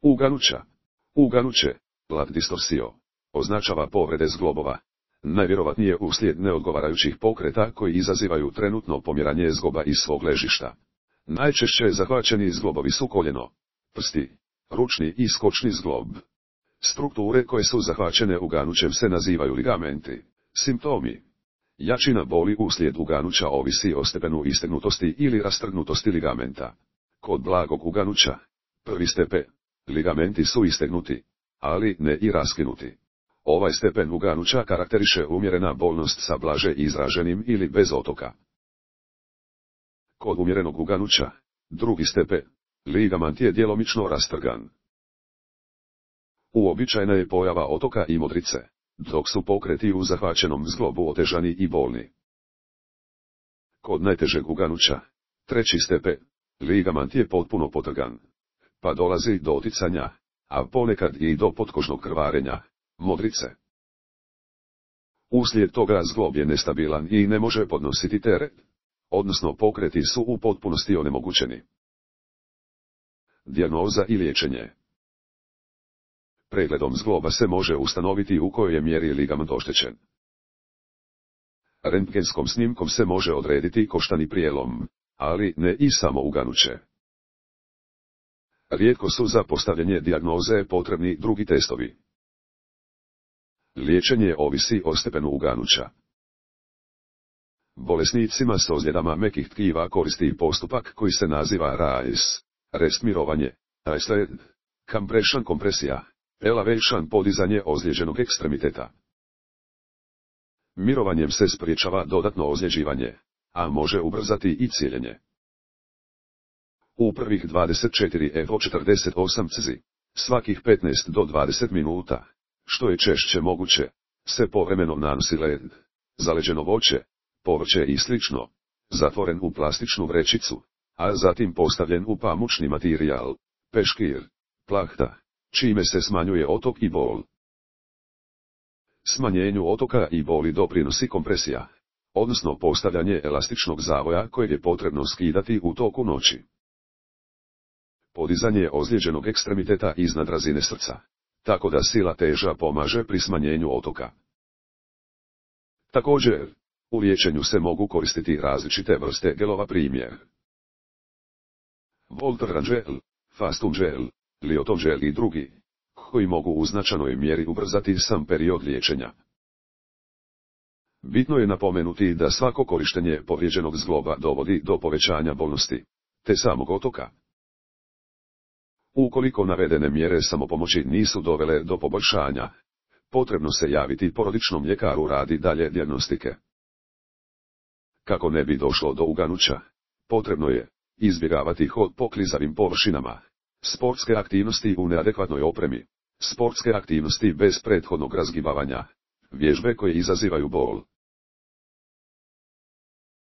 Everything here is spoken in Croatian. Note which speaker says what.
Speaker 1: Uganuća. Uganuće, lat distorsio, označava povrede zglobova. Najvjerovatnije uslijed neodgovarajućih pokreta koji izazivaju trenutno pomjeranje zgloba iz svog ležišta. Najčešće zahvaćeni zglobovi su koljeno, prsti, ručni i skočni zglob. Strukture koje su zahvaćene uganućem se nazivaju ligamenti. Simptomi. Jačina boli uslijed uganuća ovisi o stepenu istegnutosti ili rastrgnutosti ligamenta. Kod blagog uganuća, prvi stepen, ligamenti su istegnuti, ali ne i raskinuti. Ovaj stepen uganuća karakteriše umjerena bolnost sa blaže izraženim ili bez otoka. Kod umjerenog uganuća, drugi stepen, ligament je djelomično rastrgan. Uobičajena je pojava otoka i modrice, dok su pokreti u zahvaćenom zglobu otežani i bolni. Kod najtežeg uganuća, treći stepen, ligament je potpuno potrgan, pa dolazi do oticanja, a ponekad i do potkožnog krvarenja, modrice. Uslijed toga zglob je nestabilan i ne može podnositi teret, odnosno pokreti su u potpunosti onemogućeni. Dijagnoza i liječenje. Pregledom zgloba se može ustanoviti u kojoj je mjeri ligament oštećen. Rentgenskom snimkom se može odrediti koštani prijelom, ali ne i samo uganuće. Rijetko su za postavljanje dijagnoze potrebni drugi testovi. Liječenje ovisi o stepenu uganuća. Bolesnicima s ozljedama mekih tkiva koristi postupak koji se naziva RAES, rest mirovanje, ISLED, compression kompresija, elevation podizanje ozlijeđenog ekstremiteta. Mirovanjem se spriječava dodatno ozljeđivanje, a može ubrzati i cijeljenje. U prvih 24 Evo 48 cz, svakih 15 do 20 minuta, što je češće moguće, se povremeno nanosi led, zaleđeno voće, povrće i slično, zatvoren u plastičnu vrećicu, a zatim postavljen u pamučni materijal, peškir, plahta, čime se smanjuje otok i bol. Smanjenju otoka i boli doprinosi kompresija, odnosno postavljanje elastičnog zavoja kojeg je potrebno skidati u toku noći. Podizanje ozlijeđenog ekstremiteta iznad razine srca, tako da sila teža pomaže pri smanjenju otoka. Također, u liječenju se mogu koristiti različite vrste gelova, primjer Voltaren gel, Fastum gel, Lioton gel i drugi, koji mogu u značajnoj mjeri ubrzati sam period liječenja. Bitno je napomenuti da svako korištenje povrijeđenog zgloba dovodi do povećanja bolnosti, te samog otoka. Ukoliko navedene mjere samopomoći nisu dovele do poboljšanja, potrebno se javiti porodičnom ljekaru radi dalje dijagnostike. Kako ne bi došlo do uganuća, potrebno je izbjegavati hod po klizavim površinama, sportske aktivnosti u neadekvatnoj opremi, sportske aktivnosti bez prethodnog razgibavanja, vježbe koje izazivaju bol.